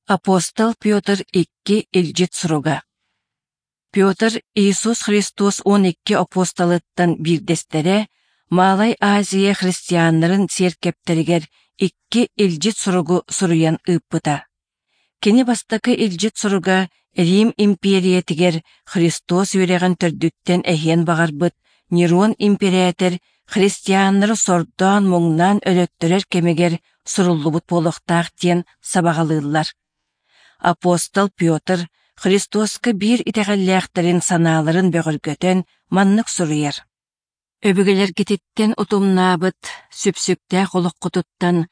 Апостол Петр икки илдьит суруга. Петр Иисус Христос 12 апостолыттан биирдэстэрэ Малай Азия христианнарын сиэркэптэригэр икки илдьит суругу суруйан ыыппыта. Кини бастакы илдьит суруга Рим импиэрийэтигэр Христос үөрэҕин төрдүттэн эһиэн баҕарбыт Нерон импэрээтэр христианнары сордоон-муҥнаан өлөттөрөр кэмигэр суруллубут буолуохтаах диэн сабаҕалыыллар. Апостол Петр Христоска биир итэҕэллээхтэрин санааларын бөҕөргөтөн маннык суруйар: «Өбүгэлэргититтэн утумнаабыт сүпсүктээх олоххутуттан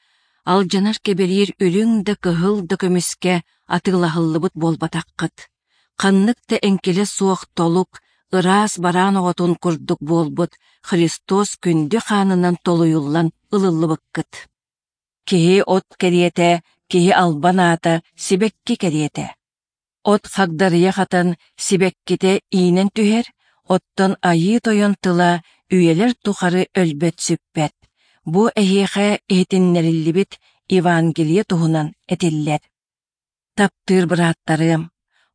алдьанар кэбириир үрүҥ да кыһыл да көмүскэ атыылаһыллыбыт буолбатаххыт. Ханнык да эҥкилэ суох толук, ыраас бараан оҕотун курдук буолбут Христос күндү хаанынан толуйуллан ылыллыбыккыт. Киһи от кэриэтэ, киһи албан аата сибэкки кэриэтэ. От хагдарыйа хатан сибэккитэ иинэн түһэр, оттон Айыы Тойон тыла үйэлэр тухары өлбөт-сүппэт. Бу эһиэхэ иһитиннэриллибит Евангелие туһунан этиллэр. Таптыыр бырааттарыам,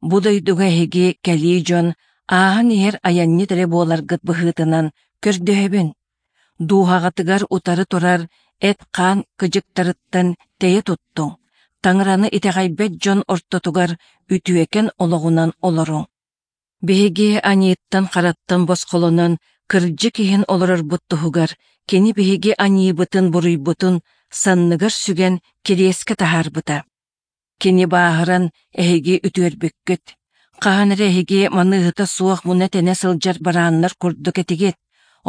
бу дойдуга эһиги кэлии дьон ааһан иһэр айанньыт эрэ буоларгыт быһыытынан көрдөһөбүн. Дууһаҕытыгар утары турар эт-хаан кыдьыктарыттан тэйэ туттуҥ, Таҥараны итэҕэйбэт дьон ортотугар үтүөкэн олоҕунан олоруҥ. Биһиги аньыыттан-хараттан босхолонон кырдьык иһин олорорбут туһугар кини биһиги аньыыбытын-буруйбутун санныгар сүгэн кириэскэ таһаарбыта. Кини бааһыран эһиги үтүөрбүккүт. Хаһан эрэ эһиги маныыһыта суох муна-тэнэ сылдьар барааннар курдук этигит,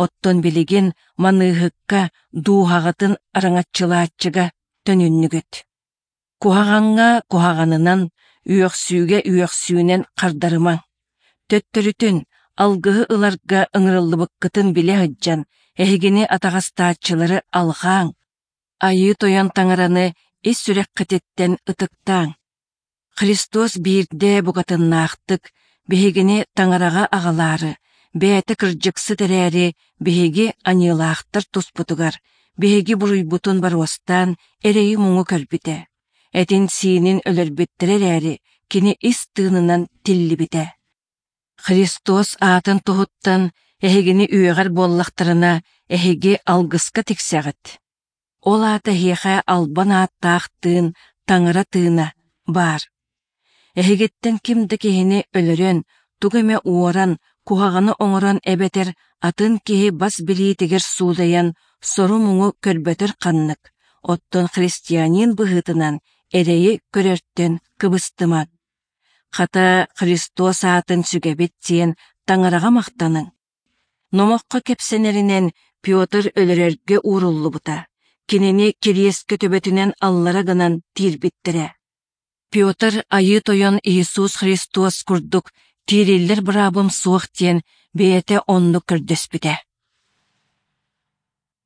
оттон билигин маныыһыкка дууһаҕытын араҥаччылааччыга төнүннүгүт. Куһаҕаҥҥа куһаҕанынан, үөхсүүгэ үөхсүүнэн хардарымаҥ. Төттөрүтүн, алгыһы ыларга ыҥырыллыбыккытын билэ сылдьан, эһигини атаҕастааччылары алҕааҥ, Айыы Тойон Таҥараны ис сүрэххититтэн ытыктааҥ. Христос биирдэ букатыннаахтык биһигини Таҥараҕа аҕалаары, бэйэтэ кырдьыксыт эрээри биһиги аньыылаахтар туспутугар, биһиги буруйбутун боруостаан эрэйи-муҥу көрбүтэ. Этин-сиинин өлөрбүттэрэ эрээри, кини ис тыынынан тиллибитэ. Христос аатын туһуттан эһигини үөҕэр буоллахтарына, эһиги алгыска тиксэҕит. Ол аата эһиэхэ албан ааттаах тыын, Таҥара тыына баар. Эһигиттэн ким да киһини өлөрөн, тугу эмэ уоран, куһаҕаны оҥорон эбэтэр атын киһи бас билиитигэр суудайан сору-муҥу көрбөтөр ханнык, оттон христианин быһыытынан эрэйи көрөртөн кыбыстымаҥ. Хата, Христос аатын сүгэбит диэн Таҥараҕа махтаныҥ. Номоххо кэпсэнэринэн Петр өлөрөргө ууруллубута, кинини кириэскэ төбөтүнэн аллара гынан тиирбиттэрэ. Петр Айыы Тойон Иисус Христос курдук тиириллэр быраабым суох диэн бэйэтэ оннук көрдөспүтэ.